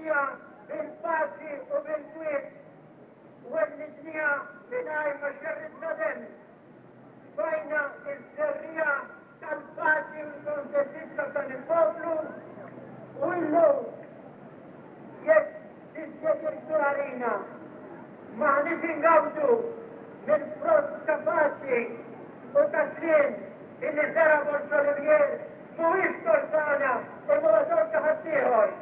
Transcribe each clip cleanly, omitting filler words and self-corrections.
Wellidniha bil-paċi u bil-kwiet. Wellidniha mingħajr ma xerridna demm. Tfajna ż-żerriegħa tal-paċi u l-kontentizza f'dan il-poplu u illum jekk dispjaċir kbir għalina m'aħniex ingawdu mill-frott ta' paċi u ta' sliem illi żera' Borg Olivier mhuwiex tort tagħna imma huwa tort ta' ħaddieħor.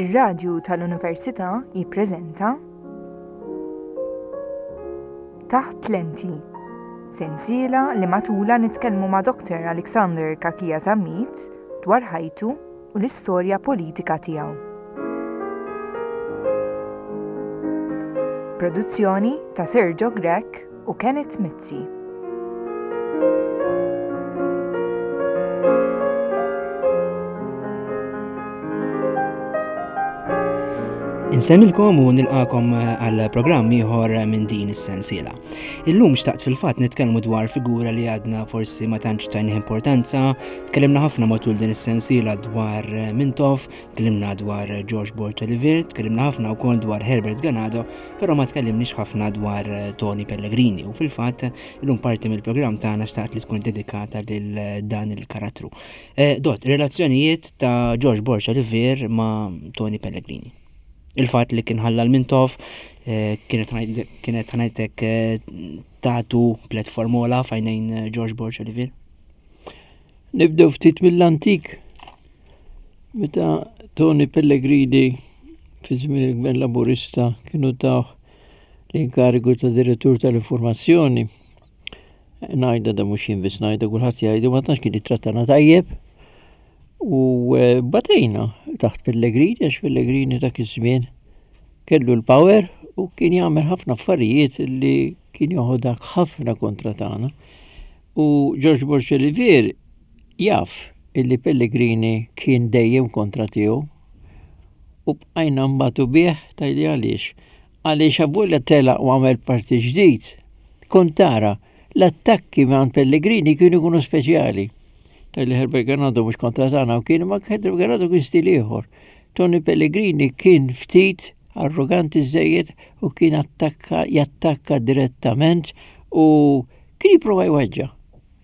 Ir-Radju tal-Università jippreżenta Taħt Lenti, sensiela li matula nitkellmu ma' Dr. Alexander Kakia Zammit dwar ħajtu u l-istorja politika tiegħu. Produzzjoni ta' Sergio Grech u Kenneth Mizzi. Insemmilkom u nilqakom eh, għal programm ieħor minn din is-sensiela. Illum xtaqt fil-fatt nitkellmu dwar figura li għadna forsi ma tantx tajnih importanza, tkellimna ħafna matul din is-sensiela dwar eh, Mintoff, tkellimna dwar George Borg Olivier, tkellimna ħafna wkoll dwar Herbert Ganado, però ma tkellimniex ħafna dwar eh, Tony Pellegrini u fil-fatt illum parti mill-programm tagħna xtaqt li tkun dedikata lil eh, dan il-karattru. Eh, dot, relazzjonijiet ta' George Borg Olivier ma' Tony Pellegrini. Il-fatt li kien ħalla l-Mintoff kienet ħanajtek tagħtu platformola fajnejn George Borg Olivier. Nibdew ftit mill-antik. Meta Tony Pellegrini fi żmien il-Gvern Laburista kienu tawh l-inkarigu ta' direttur tal-informazzjoni. Ngħidha da mhux jien biss ngħidha kulħadd jgħidu ma tantx kien jittrattana tajjeb. U eh, batejna taħt Pellegrini għax Pellegrini dak iż-żmien kellu l-power u kien jagħmel ħafna affarijiet li kien joħodak ħafna kontra tagħna. U George Borg Olivier jaf illi Pellegrini kien dejjem kontra tiegħu u bqajna nbatu bih tgħidli għaliex. Għaliex avolja telaq u għamel partit ġdid, kont tara l-attakki minn Pellegrini kienu jkunu speċjali. Tgħidli Herbert Ganado mhux kontra tagħna u kien ma Herbert Ganado kien stil ieħor. Tony Pellegrini kien ftit arroganti żejjed u kien attakka jattakka direttament u kien jipprova jweġġa'.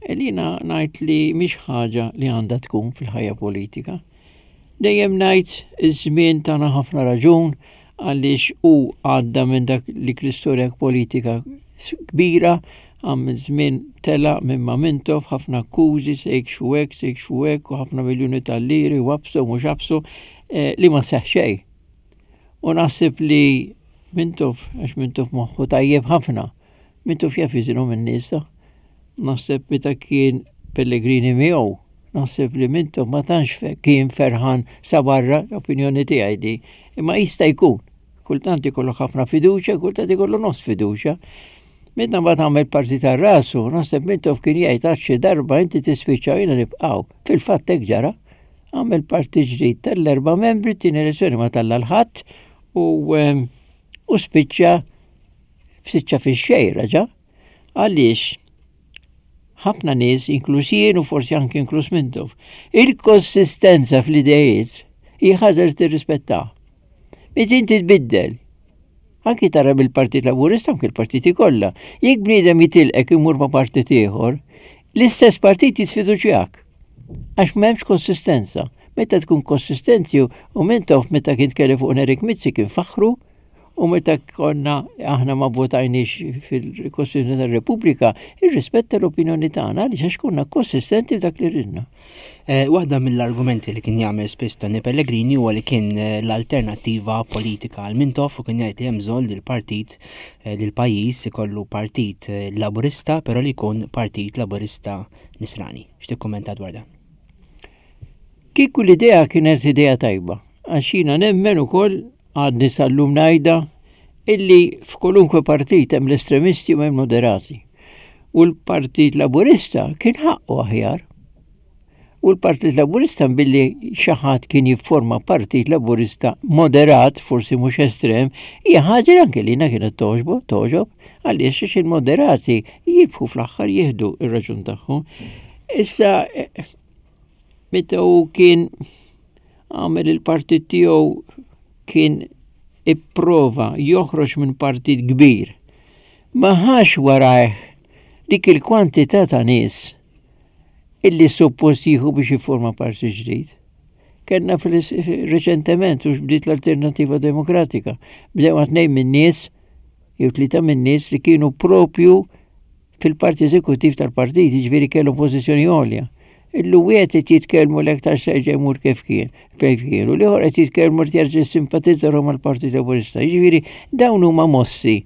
Jiena ngħid li mhix ħaġa li għandha tkun fil-ħajja politika. Dejjem ngħid iż-żmien tana ħafna raġun għaliex hu għadda minn dak li l-istorja politika kbira għam żmien tela minn ma Mintoff ħafna akkużi se jikxfu hekk, se jikxfu hekk u ħafna miljuni tal-liri u absu mhux absu eh, li ma seħ xejn. U naħseb li Mintoff, għax Mintoff moħħu tajjeb ħafna, Mintoff jaf jiżinu minn nisa. Naħseb meta kien Pellegrini miegħu, naħseb li Mintoff ma tantx kien ferħan sa barra, l-opinjoni tiegħi di, imma jista' jkun. Kultant ikollok ħafna fiduċja, kultant ikollu nofs fiduċja. Meta mbagħad għamel parti tar rasu, naħseb Mintoff kien jgħid għad xi darba inti tispiċċa jiena nibqgħu. Fil-fatt hekk ġara. Għamel parti ġdid tal-erba' membri, tieni elezzjoni ma talla l-ħadd u ehm, u spiċċa spiċċa fix-xejn raġa'. Għaliex ħafna nies, inkluż jien u forsi anki inkluż Mintoff, il-konsistenza fl-idejiet hija ħaġa li tirrispetta. Meta inti tbiddel, anki tara bil-Partit Laburista anki l-partiti kollha, jekk bniedem jitilqek imur ma' partit ieħor, l-istess partit jisfiduċjak. Għax m'hemmx konsistenza. Meta tkun konsistenti u Mintoff meta kien tkellem fuq Nerik Mizzi kien faħru, U meta konna aħna ma votajniex fil-Kostituzzjoni tar-Repubblika, irrispetta l-opinjoni tagħna għaliex għax konna konsistenti f'dak li ridna. Eh, waħda mill-argumenti li kien jagħmel spiss Tony Pellegrini huwa li kien eh, l-alternattiva politika għal Mintoff u kien jgħid li hemm bżonn li l-partit eh, li l-pajjiż ikollu partit laburista però li jkun partit laburista nisrani. X'tikkummenta dwar dan? Kieku l-idea kienet idea tajba, għax jiena nemmen ukoll Għadni sal-lum ngħidha illi f'kolunkwe partit hemm l-estremisti u hemm moderati. U l-Partit Laburista kien ħaqqu aħjar. U l-Partit Laburista billi xi ħadd kien jifforma Partit Laburista moderat, forsi mhux estrem, hija ħaġa li anke lina kienet toġbo, toġob, Għaliex għax il-moderati jirbħu fl-aħħar jieħdu ir-raġun tagħhom. Issa meta hu kien għamel il-partit tiegħu kien ipprova joħroġ minn partit kbir. Ma ħax warajh dik il-kwantità ta' nies illi suppost jieħu biex jiforma partit ġdid. Kellna reċentement u bdiet l-Alternativa Demokratika. Bdew tnejn minn nies jew tlieta minn nies li kienu propju fil-parti eżekuttiv tal-partit, jiġifieri kellhom pożizzjoni għolja. Illu wieħed qed jitkellmu l aktar serġa' jmur kif kien, kif kien, u l-ieħor qed jitkellmu li jerġa' simpatizza mal-Partit Laburista. Jiġifieri dawn huma mossi.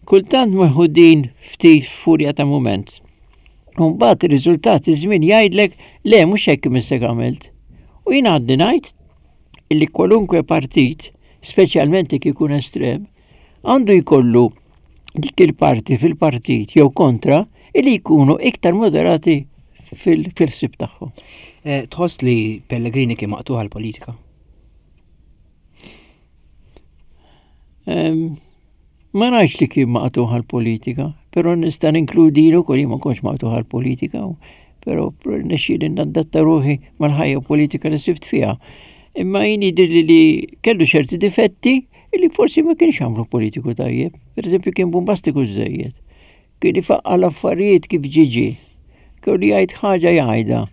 Kultant meħudin ftit furja ta' mument. U mbagħad ir-riżultat iż-żmien jgħidlek le mhux hekk imissek għamilt. U jien għadni ngħid illi kwalunkwe partit, speċjalment jekk ikun estrem, għandu jkollu dik il-parti fil-partit jew kontra illi jkunu iktar moderati fil-ħsieb tagħhom. Eh, tħoss li Pellegrini kien maqtuħ għall-politika? Ma ngħidx li kien maqtuħ għall-politika, però nista' ninkludi ukoll jien ma kontx maqtuħ għall-politika, però nexxieli nadatta ruħi mal-ħajja politika li sibt fiha. Imma jien jidhirli li kellu ċerti difetti Illi forsi ma kienx għamlu politiku tajjeb. Per eżempju kien bombastiku żejjed. Kien ifaqqa l-affarijiet kif ġiġi. Kellu jgħid ħaġa jgħidha.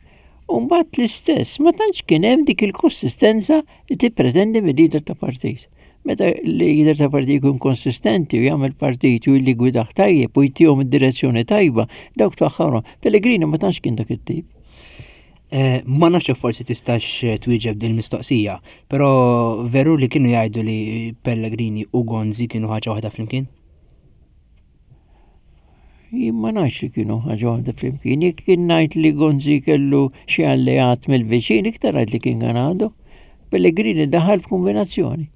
U mbagħad l-istess, ma tantx kien hemm dik il-konsistenza li tippretendi mill-lider ta' partit. Meta l-lider ta' partit jkun konsistenti u jagħmel partit u li gwidaħ tajjeb u jtihom id-direzzjoni tajba, dawk tfaħħarhom. Pellegrini ma tantx kien dak it-tip. Eh, ma nafx forsi tistax eh, twieġeb din mistoqsija, però veru li kienu jgħidu li Pellegrini u Gonzi kienu ħaġa waħda flimkien? Jien ma nafx li kienu ħaġa waħda flimkien, jekk kien ngħid li Gonzi kellu xi alleat mill-viċin, iktar ngħid li kien Ganado. Pellegrini daħal f'kombinazzjoni.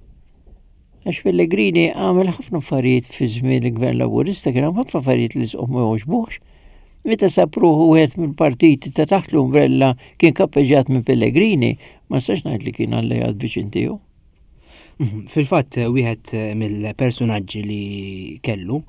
Għax Pellegrini għamel ħafna affarijiet fi żmien il-Gvern Laburista, kien hemm ħafna affarijiet li sqom ma jogħġbuhx. Meta sab ruħu wieħed mill-partiti ta' taħt l-umbrella kien kappeġġjat minn Pellegrini, ma nistax ngħid li kien alleat viċin tiegħu. Mhm. Fil-fatt wieħed mill-personaġġi li kellu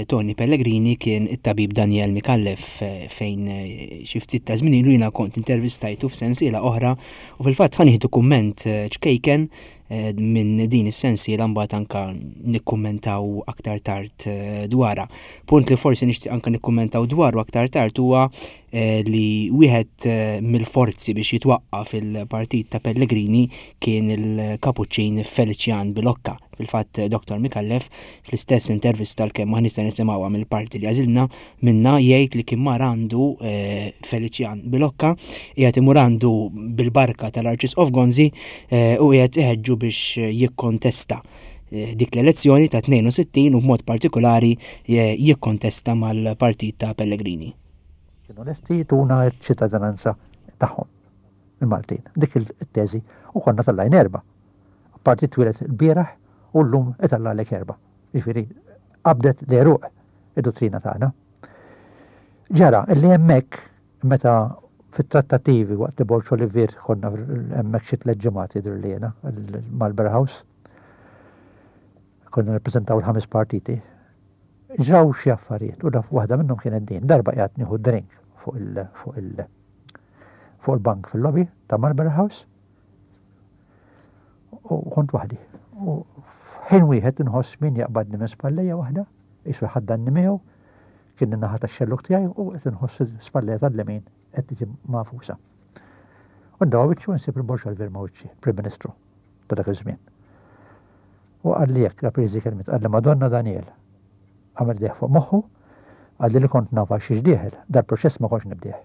Tony Pellegrini kien it-tabib Daniel Micallef eh, fejn eh, xi ftit ta' żmien ilu jiena kont intervistajtu f'sensiela oħra u fil-fatt ħa nieħdu kumment eh, ċkejken minn din is-sensiela mbagħad anka nikkummentaw aktar tard dwarha. Punt li forsi nixtieq anka nikkummentaw dwaru aktar tard huwa li wieħed mill-forzi biex jitwaqqaf il-partit ta' Pellegrini kien il-kapuċċin Felician Bilocca. Fil-fatt Dr. Micallef Fl-istess intervista l-kemm aħna nista' nisimgħuha mill-parti li għażilna minna jgħid li kien mar għandu eh, Felician Bilocca qiegħed imur għandu bil-barka tal-Arċisqof Gonzi eh, u qiegħed iħeġġu biex jikkontesta eh, dik l-elezzjoni ta' 62 u b'mod partikolari jikkontesta mal-partit ta' Pellegrini. Kienu lesti jtuna ċ-ċittadinanza tagħhom, il-Maltin. Dik il-teżi u konna tal-lajn erba'. Partit twieled il-bieraħ u llum itellagħlek erba'. Jiġifieri qabdet l-għeruq id-duttrina tagħna. Ġara li hemmhekk meta fit-trattativi waqt li Borg Olivier konna hemmhekk xi tliet ġimgħat jidhirli jiena Marlborough House. Konna nirrappreżentaw il-ħames partiti. Ġraw xi affarijiet u daf waħda minnhom kienet din. Darba qiegħed nieħu drink fuq il fuq il fuq il-bank fil-lobby ta' Marlborough House U kont waħdi. U f'ħin wieħed inħoss min jaqbadni minn spallejja waħda, qisu jħaddanni miegħu, kien in-naħa tax-xellug tiegħi u qed inħoss spallejja tal-lemin qed tiġi magħfusa. U ndawa wiċċu nsib il-Borġ Alver ma' wiċċi, Prim Ministru ta' dak iż-żmien. U qalli hekk, la priżi kelmiet, qalli Madonna Daniel. Għamel deħ fuq moħħu, qalli li kont nafa xiex dieħel, dal-proċess ma kontx nibdih.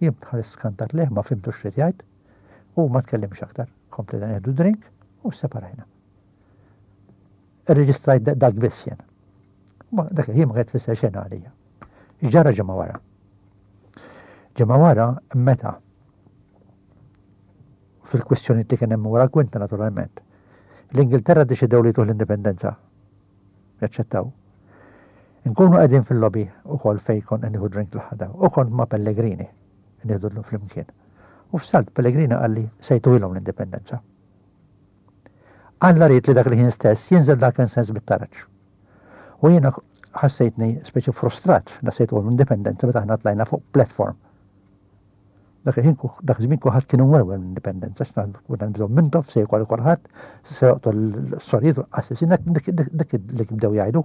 Jien tħares skantat lejh ma fimtux x'ried jgħid. U ma tkellimx aktar. Komplejna nieħdu drink u separajna. Irreġistrajt dak biss jien. Ma dak il-ħin ma kienet tfisser xejn għalija. Ġara ġimgħa wara. Ġimgħa wara meta fil-kwistjoni li kien hemm wara l-kwinta naturalment. L-Ingilterra deċidew li tuħ l-indipendenza. Jaċċettaw. Nkunu qegħdin fil-lobby ukoll fejn kont qed nieħu drink l-ħada u kont ma' Pellegrini nieħdu flimkien. U f'salt Pellegrini qalli se jtuhilhom l-indipendenza. Alla ried li dak il-ħin stess jinżel dak sens bit-taraġ. U jiena ħassejtni speċi frustrat, nassejt u l-indipendenza meta aħna tlajna fuq platform. Dak il-ħin dak iż-żmien kulħadd kien imwerwer mill-indipendenza, għax konna nibżgħu Mintoff se jkoll kulħadd, se joqtol s-sorijiet u l-qassisin, dik li bdew jgħidu.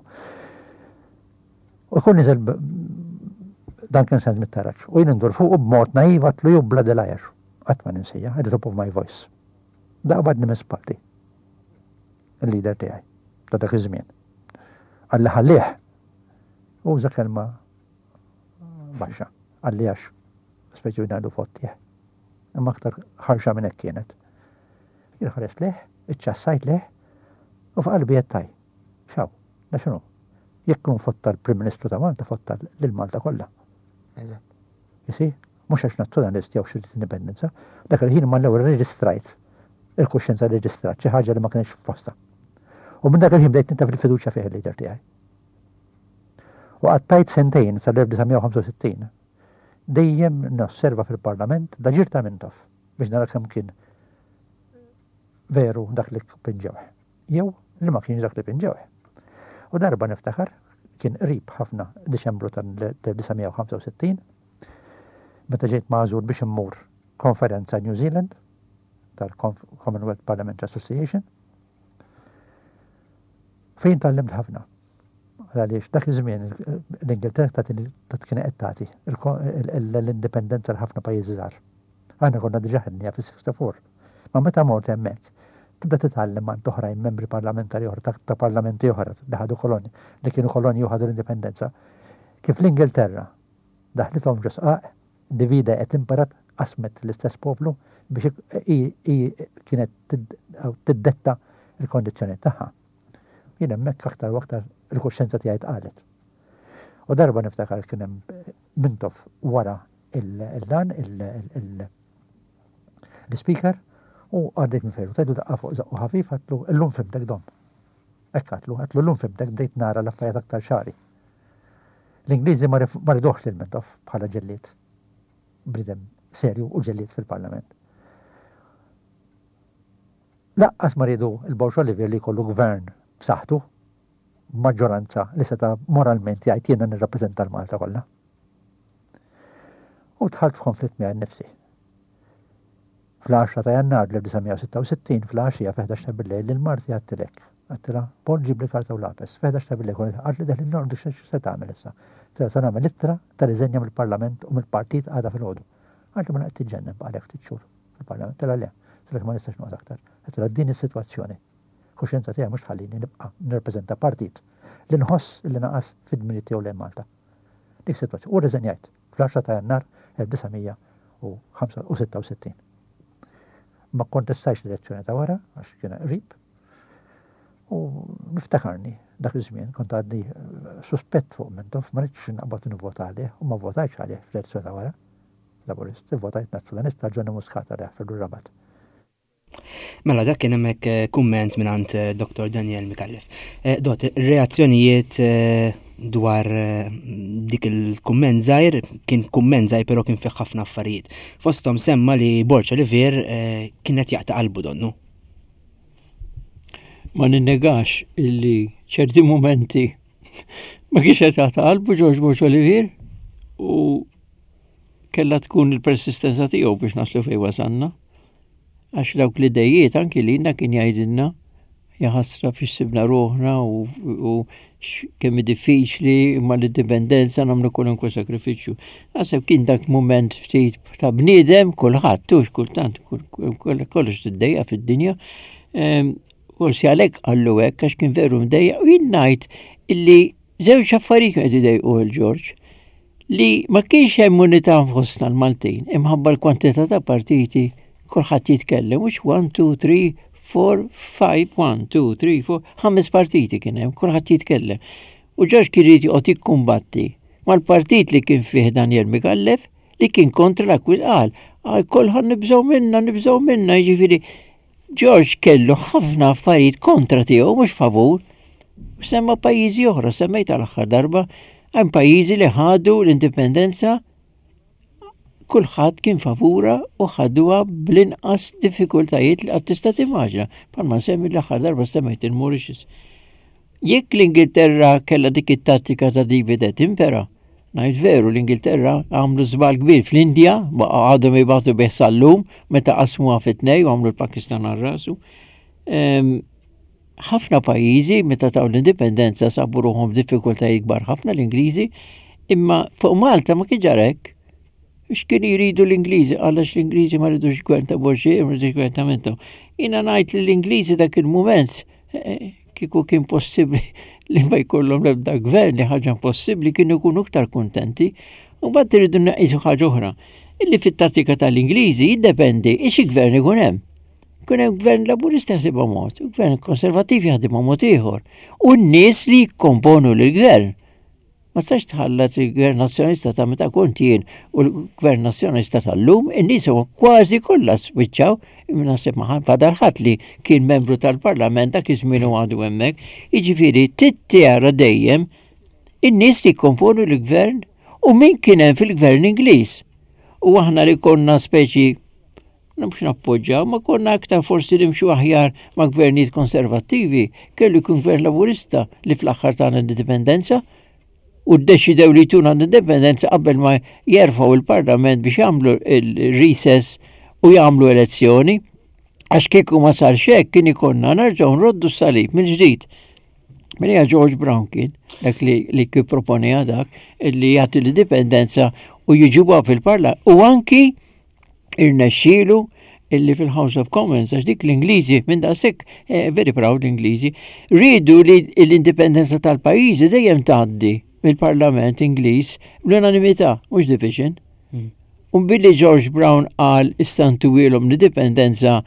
U jkun niżel Duncan Sands mit-taraġ. U jien indur fuqu b'mod naiv għatlu you bloody liar. Qatt ma ninsija, at the top of my voice. Daqbadni minn spalti. Il-leader tiegħi ta' dak iż-żmien. Qalli ħallih. Uża kelma baxxa. Qalli għax speċi ngħidu fottih. Imma aktar ħarxa minn hekk kienet. Jien ħares leh, iċċassajt leh u f'qalbi qed taj. Xaw, da x'inhu? Jekk kun fotta l-Prim Ministru ta' Malta, fotta lil Malta kollha. Eżatt. Jisi, mhux għax nazzjonalist jew xi indipendenza, dak il-ħin ma l-ewwel reġistrajt il-kuxjenza reġistrat xi ħaġa li ma kienx f'posta. U minn dak il-ħin bdejt nintaf il-fiduċja fih il-leader tiegħi. U qattajt sentejn sal-1965 dejjem nosserva fil-Parlament l-aġir ta' Mintoff biex nara kemm kien veru dak li pinġewh. Jew li ma kienx dak li pinġewh. U darba niftakar kien qrib ħafna Diċembru tal-1965 meta ġejt magħżul biex immur konferenza New Zealand tal-Commonwealth Parliamentary Association fejn tgħallimt ħafna. Għaliex dak iż-żmien l-Ingilterra ta' kien qed tagħti l-indipendenza l ħafna pajjiżi żgħar. Aħna konna diġà ħedniha fis-64. Ma meta mort hemmhekk, tibda titgħallem għand oħrajn membri parlamentari oħra ta' parlamenti oħra li ħadu kolonji, li kienu kolonji u ħadu l-indipendenza, kif l-Ingilterra daħlithom ġo sqaq Divide et impera qasmet l-istess poplu biex hi kienet tiddetta l-kondizzjonijiet tagħha. Jien hemmhekk aktar u aktar il-kuxjenza tiegħi tqalet. U darba niftakar kien hemm Mintoff wara il-dan l-speaker u għaddejt minn fejn tajtu daqqa fuq żaqqu ħafif għatlu illum fimtek dom. Hekk għatlu, għatlu llum fimtek bdejt nara l-affarijiet aktar ċari. L-Ingliżi ma riduhx lil Mintoff bħala ġellied, bniedem serju u ġellied fil-Parlament. Laqqas ma riedu l-Borg Olivier li jkollu gvern b'saħħtu, b'maġġoranza li seta' moralment jgħid jiena nirrappreżenta l-Malta kollha. U dħalt f'konflitt miegħi nnifsi. Fl-10 ta' Jannar 1966 fl-għaxija fi-ħdax ta' billejl lil marti għedtilek. Għedtilha, Paul ġibli karta u lapes. Fi-ħdax ta' billejl kont qaltli deħlin norqdu x'se tagħmel issa? Għedtilha se nagħmel ittra ta' riżenja mill-Parlament u mill-partit għada filgħodu. Qaltli mela qed tiġġennen baqgħalek ftit xhur fil-Parlament. Għedtilha le. Għedtilha ma nistax noqgħod aktar. Għedtilha din is-sitwazzjoni. Kuxjenza tiegħi mhux tħallini nibqa' nirrappreżenta partit li nħoss li naqas fid-dmirijiet tiegħu lejn Malta. Dik sitwazzjoni. U rriżenjajt fl-10 ta' Jannar 1966. Ma kkontestajx l-elezzjoni ta' wara għax kien qrib. U niftakarni dak iż-żmien kont għadni eh, suspett fuq Mintoff, ma rridx naqbad nivvota għalih u ma votajtx għalih fl-elezzjoni ta' wara. Laburist, votajt Nazzjonalista Johnny Muscat għalih fil-Rabat. Mela dak kien hemmhekk eh, kumment mingħand eh, Dr. Daniel Mikallef. Eh, dot, reazzjonijiet dwar dik il-kumment żgħir, kien kumment żgħir però kien fih ħafna affarijiet. Fosthom semma li Borġ Olivier kien qed jaqta' qalbu donnu. Ma ninnegax illi ċerti momenti ma kienx qed jaqta' qalbu Ġorġ Borġ Olivier u kella tkun il-persistenza tiegħu biex naslu fejn wasalna. Għax dawk l-idejiet anki lilna kien jgħidilna jaħasra fiex sibna ruħna u, u kemm diffiċli imma l-indipendenza nagħmlu kwalunkwe sakrifiċċju. Naħseb kien dak mument ftit ta' bniedem kulħadd tux kultant kollox tiddejja fid-dinja. Ehm, forsi għalhekk qallu hekk għax kien veru mdejja u jien ngħid illi żewġ affarijiet qed idejqu il-Ġorġ. Li ma kienx hemm unità fostna l-Maltin imħabba l-kwantità ta' partiti kulħadd jitkellem mhux 1 2 3 4 5 1 2 3 4 ħames partiti kien hemm kulħadd jitkellem. U Ġorġ kien irid joqgħod jikkumbatti mal-partit li kien fih Daniel Micallef li kien kontra l-akkwist qal għal kulħadd nibżgħu minna nibżgħu minna jiġifieri George kellu ħafna affarijiet kontra tiegħu mhux favur. Semma pajjiżi oħra, semmejt għal aħħar darba, hemm pajjiżi li ħadu l-indipendenza kulħadd kien favura u ħaduha bl-inqas diffikultajiet li qatt tista' timmaġina. Bħalma nsemmi l-aħħar darba semmejt il-Mauritius. Jekk l-Ingilterra kellha dik it-tattika ta' divide et impera, ngħid veru l-Ingilterra għamlu żball kbir fl-Indja, għadhom jibgħatu bih sal-lum meta qasmuha fit-tnej u għamlu l-Pakistan għal rasu. Ehm, ħafna pajjiżi meta taw l-indipendenza sabu ruħhom f'diffikultajiet kbar ħafna l-Ingliżi, imma fuq Malta ma kien ġarek. X'kienu jridu l-Ingliżi? Għalax l-Ingliżi ma ridux gvern ta' Borġi, ma ridux gvern ta' Mintoff. Jiena ngħid li l-Ingliżi dak il-mument eh, kieku kien possibbli li ma jkollhom l-ebda gvern li ħaġa impossibbli kienu jkunu iktar kuntenti. U mbagħad iridu naqisu ħaġa oħra. Illi fit-tattika tal-Ingliżi jiddependi xi gvern ikun hemm. Kun hemm gvern laburista jaħsibha mod, u gvern konservattiv jaħdimha mod ieħor. U n-nies li jikkomponu l-gvern. Ma tistax tħallat il-Gvern Nazzjonalista ta' meta kont jien u l-Gvern Nazzjonalista tal-lum, in-nies huma kważi kollha spiċċaw, imma naħseb ma fadal ħadd li kien membru tal-Parlament dak iż-żmien u għadu hemmhekk. Jiġifieri trid tara dejjem in-nies li jkomponu l-gvern u min kien hemm fil-gvern Ingliż. U aħna li konna speċi mhux nappoġġaw, ma konna aktar forsi nimxu aħjar ma' gvernijiet konservattivi, kellu jkun gvern laburista li fl-aħħar tagħna l-indipendenza u ddeċidew li jtuna l-indipendenza qabel ma jerfgħu il-parlament biex jagħmlu il-recess u jagħmlu elezzjoni. Għax kieku ma sar hekk kien ikonna nerġgħu nroddu s-salib mill-ġdid. Mela George Brown kien dak li li kien dak li jagħti l-indipendenza u jiġuha fil-parlament u anki irnexxielu illi fil-House of Commons, għax dik l-Ingliżi minn daqshekk eh, very proud l-Ingliżi, rridu li l-indipendenza tal-pajjiżi dejjem tgħaddi mill-Parlament Ingliż bl-unanimità, mhux division. U billi George Brown qal issa ntuwielhom l-indipendenza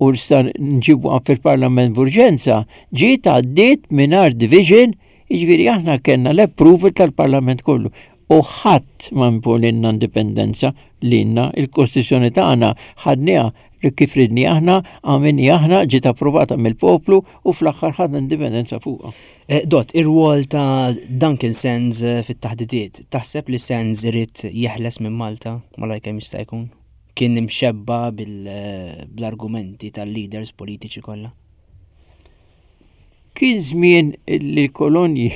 u issa nġibuha fil-Parlament b'urġenza, ġiet għaddiet mingħajr division, jiġifieri aħna kellna l-approval tal-Parlament kollu. U ħadd ma imponinna indipendenza lilna, il-Kostituzzjoni tagħna ħadniha li kif ridni aħna, għamilni aħna, ġiet approvata mill-poplu u fl-aħħar ħadna indipendenza fuqha. Eh, Dot, ir-rwol ta' Duncan Sands eh, fit-taħdidiet, taħseb li Sands irid jeħles minn Malta malajr kemm jista' jkun? Kien imxebba eh, bl-argumenti tal-leaders politiċi kollha? Kien żmien li l-kolonji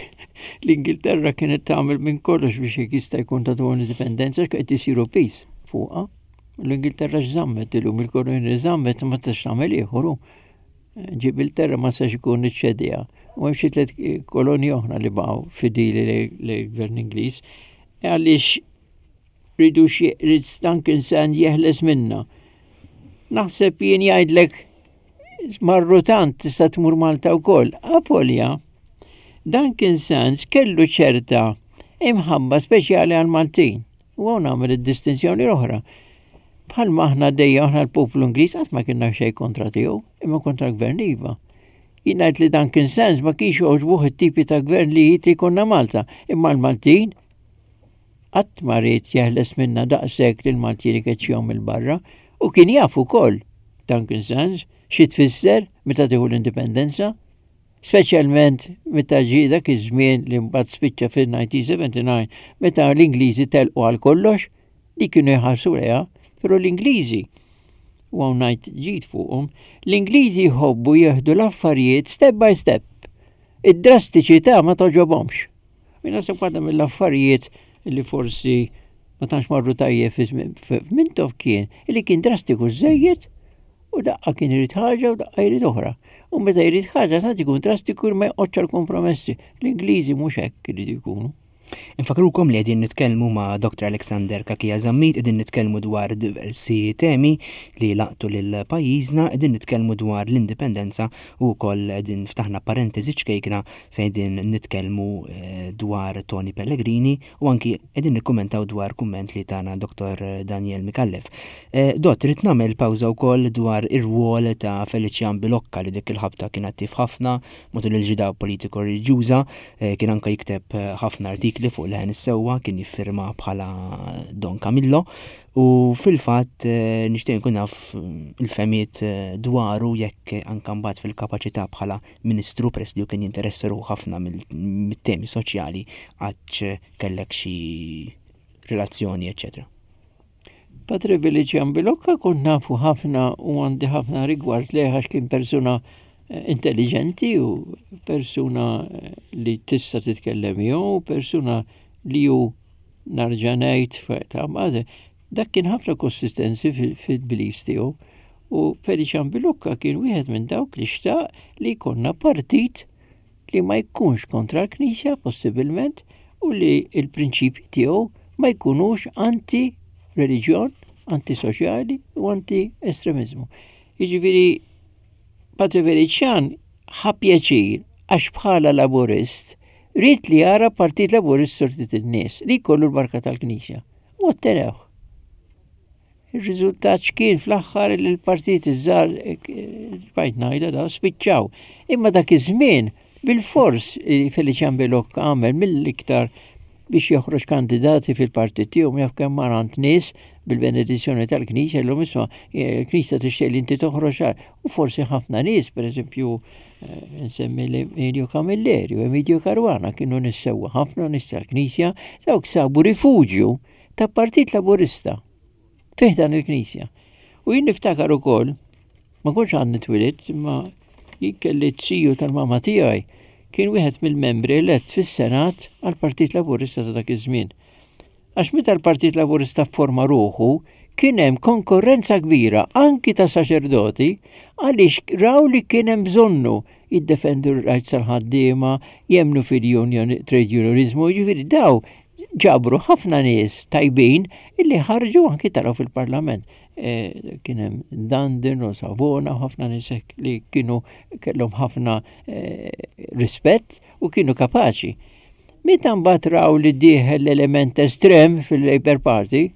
l-Ingilterra kienet tagħmel minn kollox biex jekk jista' jkun ta' indipendenza x'qed isiru peace fuqha. L-Ingilterra x'żammet illum il-kolonji li żammet ma tistax tagħmel ieħor. Ġibilterra ma sax ikun iċċedija. U hemm xi tliet kolonji oħra li baqgħu fidili lill-gvern Ingliż. Għaliex ridu xi rid Duncan Sand jeħles minna. Naħseb jien jgħidlek marru tant tista' tmur Malta wkoll. Avolja, Duncan Sands kellu ċerta imħabba speċjali għal Maltin. U hawn nagħmel id-distinzjoni l-oħra. Bħalma aħna dejja aħna l-poplu Ingliż qatt ma kienna xejn kontra tiegħu, imma kontra gvern iva. Jien ngħid li Duncan Sands ma kienx jogħġbuh it-tipi ta' gvern li jrid jkollna Malta, imma l-Maltin Qatt ma ried jeħles minnha daqshekk li l-Maltin ikeċċihom 'il barra u kien jaf ukoll, Duncan Sands, xi tfisser meta tieħu l-indipendenza, speċjalment meta ġie dak iż-żmien li mbagħad spiċċa fil-1979 meta l-Ingliżi telqu għal kollox, dik kienu jħarsu lejha, però l-Ingliżi, u hawn ngħid ġid fuqhom, l-Ingliżi jħobbu jieħdu l-affarijiet step by step. Id-drastiċità ma togħġobhomx. U naħseb waħda mill-affarijiet li forsi ma tantx marru tajjeb fi Mintoff kien li kien drastiku żejjed u daqqa kien irid ħaġa u daqqa jrid oħra. U meta jrid ħaġa tant ikun drastiku ma joqgħodx għal kompromessi. L-Ingliżi mhux hekk iridu jkunu. Infakrukom li qegħdin nitkellmu ma' Dr. Alexander Cachia Zammit, qegħdin nitkellmu dwar diversi temi li laqtu lil pajjiżna, qegħdin nitkellmu dwar l-indipendenza u wkoll qegħdin ftaħna parentesi ċkejkna fejn qegħdin nitkellmu eh, dwar Tony Pellegrini u anki qegħdin nikkumentaw dwar kumment li tana Dr. Daniel Micallef. Eh, Dott, rrid nagħmel pawża wkoll dwar ir-rwol ta' Felician Bilocca li dik il-ħabta kien attiv ħafna matul il-ġida politiko reliġjuża, eh, kien anka jikteb ħafna artikli fuq leħen is-sewwa, kien jiffirma bħala Don Camillo u fil-fatt nixtieq nkun naf il-femiet dwaru jekk anka mbagħad fil-kapaċità bħala Ministru peress li hu kien jinteressa ruħu ħafna mit-temi soċjali għadx kellek xi relazzjoni, eċċetera. Patri Felician Bilocca kont nafu ħafna u għandi ħafna rigward lejh għax kien persuna intelligenti u persuna li tista' titkellem miegħu, persuna li hu narġa' ngħid ta' dak kien ħafna konsistenzi fil-beliefs tiegħu. U Felician Bilocca kien wieħed minn dawk li xtaq li jkollna partit li ma jkunx kontra l-Knisja possibilment u li l-prinċipji tiegħu ma jkunux anti reliġjon, anti soċjali u anti estremizmu. Jiġifieri Patri Felician ħa pjaċir għax bħala laburist ried li jara Partit Laburist sortit in-nies li jkollu l-barka tal-Knisja. U ottenewh. Ir-riżultat x'kien fl-aħħar li l-partit iż-żgħar bajt ngħidha da spiċċaw. Imma dak iż-żmien bil-fors Felician Bilocca għamel mill-iktar biex joħroġ kandidati fil-partit tiegħu jaf kemm mar għand nies bil-benedizzjoni tal-Knisja llum isma' il-Knisja tixtieq li inti toħroġ u forsi ħafna nies, pereżempju eh, nsemmi Emilio Camilleri u Emilio Caruana kienu nies sewwa ħafna nies tal-Knisja dawk sabu rifuġju ta' Partit Laburista fih dan il-Knisja. U jien niftakar ukoll, ma kontx għadni twilidt, imma jien kelli t-siju tal-mama tiegħi kien wieħed mill-membri elett fis-Senat għall-Partit Laburista ta' dak iż-żmien. Għax meta l-Partit Laburista fforma ruħu, kien hemm konkurrenza kbira anki ta' saċerdoti għaliex raw li kien hemm bżonnu jiddefendu r-rights tal-ħaddiema, jemmnu fil-union, trade unionizmu, jiġifieri daw ġabru ħafna nies tajbin illi ħarġu anki taraw fil-parlament. E, kien hemm Dandin u Savona u ħafna nies li kienu kellhom ħafna e, rispett u kienu kapaċi. Meta mbagħad raw li dieħel l-element estrem fil-Labour Party,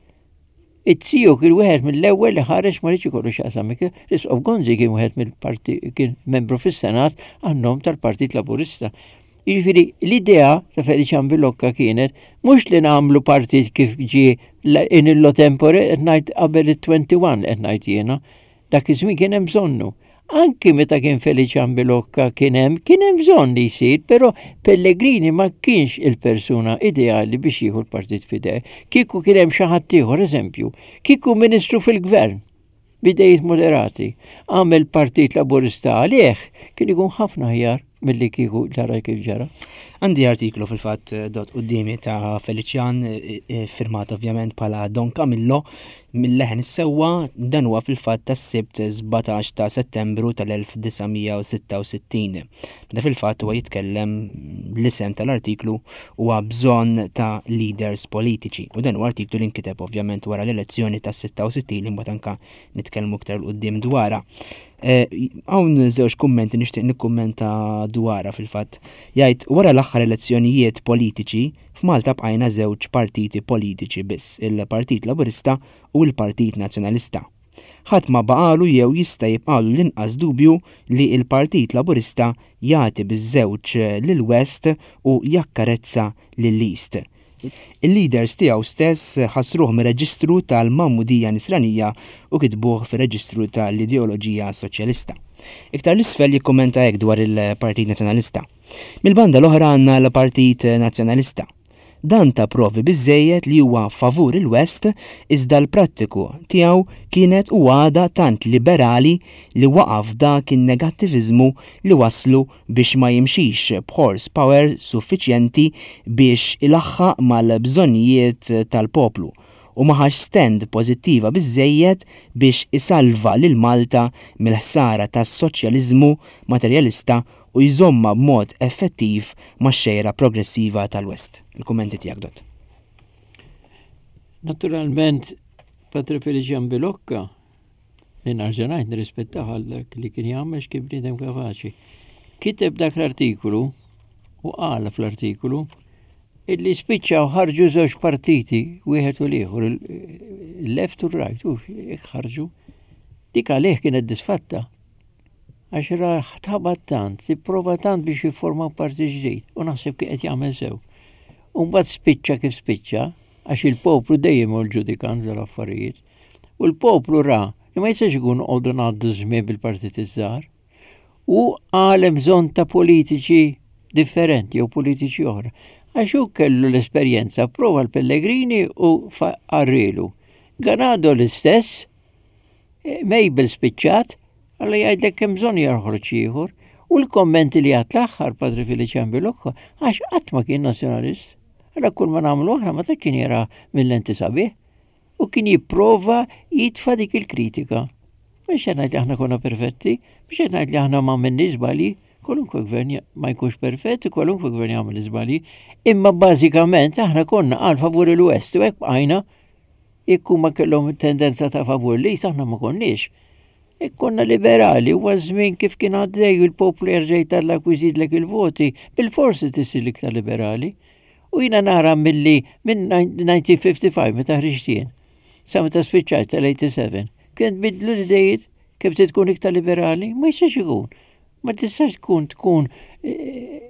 It-tiju kien wieħed mill-ewwel li ħareġ ma rridx ikollu x'jaqsam L-Isqof Gonzi kien wieħed mill-parti kien membru fis-Senat għan-nom tal-Partit Laburista. Jiġifieri l-idea ta' Felician Bilocca kienet mhux li nagħmlu partit kif ġie in illo tempore qed ngħid qabel it-21 qed ngħid jiena. Dak iż-żmien kien hemm bżonnu. Anki meta kien Felician Bilocca kien hemm kien hemm bżonn li jsir, però Pellegrini ma kienx il-persuna ideali biex jieħu l-partit f'idejh. Kieku kien hemm xi ħadd ieħor, eżempju, kieku ministru fil-gvern b'idejiet moderati, għamel Partit Laburista għalih, kien ikun ħafna aħjar milli kieku ġara kif ġara. Għandi artiklu fil-fatt eh, dot qudiemi ta' Felician eh, eh, firmat ovvjament bħala Don Camillo mill-leħen is-sewwa dan huwa fil-fatt tas-Sibt 17 ta' Settembru tal-1966. Meta fil-fatt huwa jitkellem l-isem tal-artiklu huwa bżonn ta' leaders politiċi. U dan huwa artiklu li nkiteb ovvjament wara l-elezzjoni tas-66 li mbagħad anka nitkellmu iktar 'l quddiem dwarha. Eh, hawn żewġ kummenti nixtieq nikkummenta dwarha fil-fatt. Jgħid wara l-aħħar elezzjonijiet politiċi f'Malta bqajna żewġ partiti politiċi biss, il-Partit Laburista u l-Partit Nazzjonalista. Ħadd ma baqalu jew jista' jibqalu l-inqas dubju li l-Partit Laburista jagħti biż-żewġ lill-West u jakkarezza lill-East. Il-leaders tiegħu stess ħassruh mir-reġistru tal-Magħmudija Nisranija u kitbuh fir-reġistru tal-ideoloġija Soċjalista. Iktar 'l isfel jikkummenta hekk dwar il-Partit Nazzjonalista. Mill-banda l-oħra għandna l-Partit Nazzjonalista. Dan ta provi biżżejjed li huwa favur il-West iżda l-prattiku tiegħu kienet u għadha tant liberali li waqa' f'dak in-negattiviżmu li wasslu biex ma jimxix b'horse power suffiċjenti biex ilaħħaq mal-bżonnijiet tal-poplu u ma ħax stand pożittiva biżżejjed biex isalva lil Malta mill-ħsara tas-soċjaliżmu materjalista u jżommha b'mod effettiv max-xejra progressiva tal-West. Il-kummenti tiegħek, Dott. Naturalment, Padre Felician Bilocca, li narġa' ngħid nirrispettah għal dak li kien jagħmel x'kien bniedem kapaċi. Kiteb dak l-artikolu u qal fl-artikolu illi spiċċaw ħarġu żewġ partiti wieħed u l-ieħor, il-left u r-right, u ħarġu. Dik għalih kienet disfatta. Għax raħ tħabat tant, ipprova tant biex jifforma partit ġdid u naħseb kien qed jagħmel sew. U mbagħad spiċċa kif spiċċa, għax il-poplu dejjem hu l-ġudikant tal-affarijiet. U l-poplu ra li ma jistax ikun noqogħdu ngħaddu żmien bil-partiti żgħar. U qal hemm bżonn ta' politiċi differenti jew politiċi oħra. Għax hu kellu l-esperjenza, prova l-Pellegrini u qarrilu. Ganado l-istess, eh, Mabel spiċċat, għalla jgħidlek hemm bżonn joħroġ ieħor. U l-kommenti li għat l-aħħar Padre Felician Bilocco għax qatt ma kien nazzjonalist. Għala kull ma nagħmlu aħna ma ta' kien jara mill-lenti sabiħ. U kien jipprova jitfa' dik il-kritika. Mhux qed ngħid li aħna konna perfetti, mhux qed ngħid li aħna ma għamilniex żbalji, kwalunkwe gvern ma jkunx perfett, kwalunkwe gvern jagħmel żbalji, imma bażikament aħna konna għal favur il-West u hekk bqajna jekk huma kellhom tendenza ta' favur li aħna ma konniex. Jekk konna liberali huwa żmien kif kien għaddej il-poplu jerġa' jtallak u jżidlek il-voti, bil-forsi tisir iktar liberali. U jiena nara milli minn 1955 meta ħriġt jien, sa meta spiċċajt tal-87, kien tbiddlu l-idejiet kemm se tkun iktar liberali, ma jistax ikun. Ma tistax tkun tkun eh,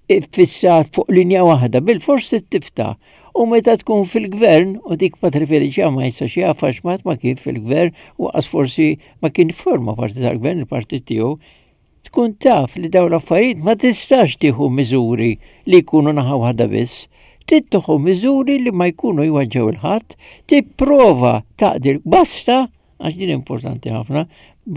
iffissat fuq linja waħda, bil-fors tifta. U meta tkun fil-gvern, u dik Patri Felicia ma jistax jaf għax ma kien fil-gvern, u għas forsi ma kien forma parti tal-gvern, il-partit tiegħu, Tkun taf li dawn l-affarijiet ma tistax tieħu miżuri li jkunu naħa waħda biss. Trid tieħu miżuri li ma jkunu jweġġgħu 'l ħadd, tipprova taqdi basta, għax din importanti ħafna,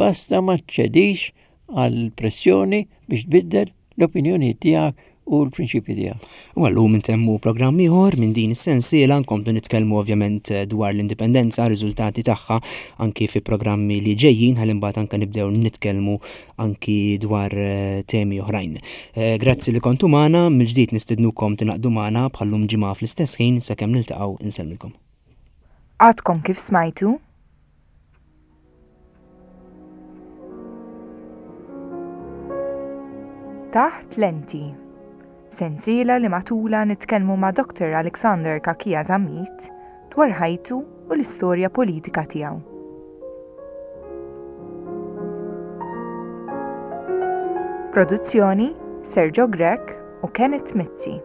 basta ma ċċedix għal pressjoni biex tbiddel l-opinjonijiet tiegħek u l-prinċipji tiegħek. U għallum intemmu programm ieħor minn din is-sensiela nkomplu nitkellmu ovvjament dwar l-indipendenza, riżultati tagħha anki fi programmi li ġejjin ħalli mbagħad anke nibdew nitkellmu anki dwar eh, temi oħrajn. Eh, grazzi li kontu magħna, mill-ġdid nistednukom tingħaqdu magħna bħallum ġimgħa fl-istess ħin sakemm niltaqgħu insellmilkom. Għadkom kif smajtu? Taħt Lenti. Sensiela li matulha nitkellmu ma' Dr. Alexander Cachia Zammit dwar ħajtu u l-istorja politika tiegħu. Produzzjoni Sergio Grech u Kenneth Mizzi.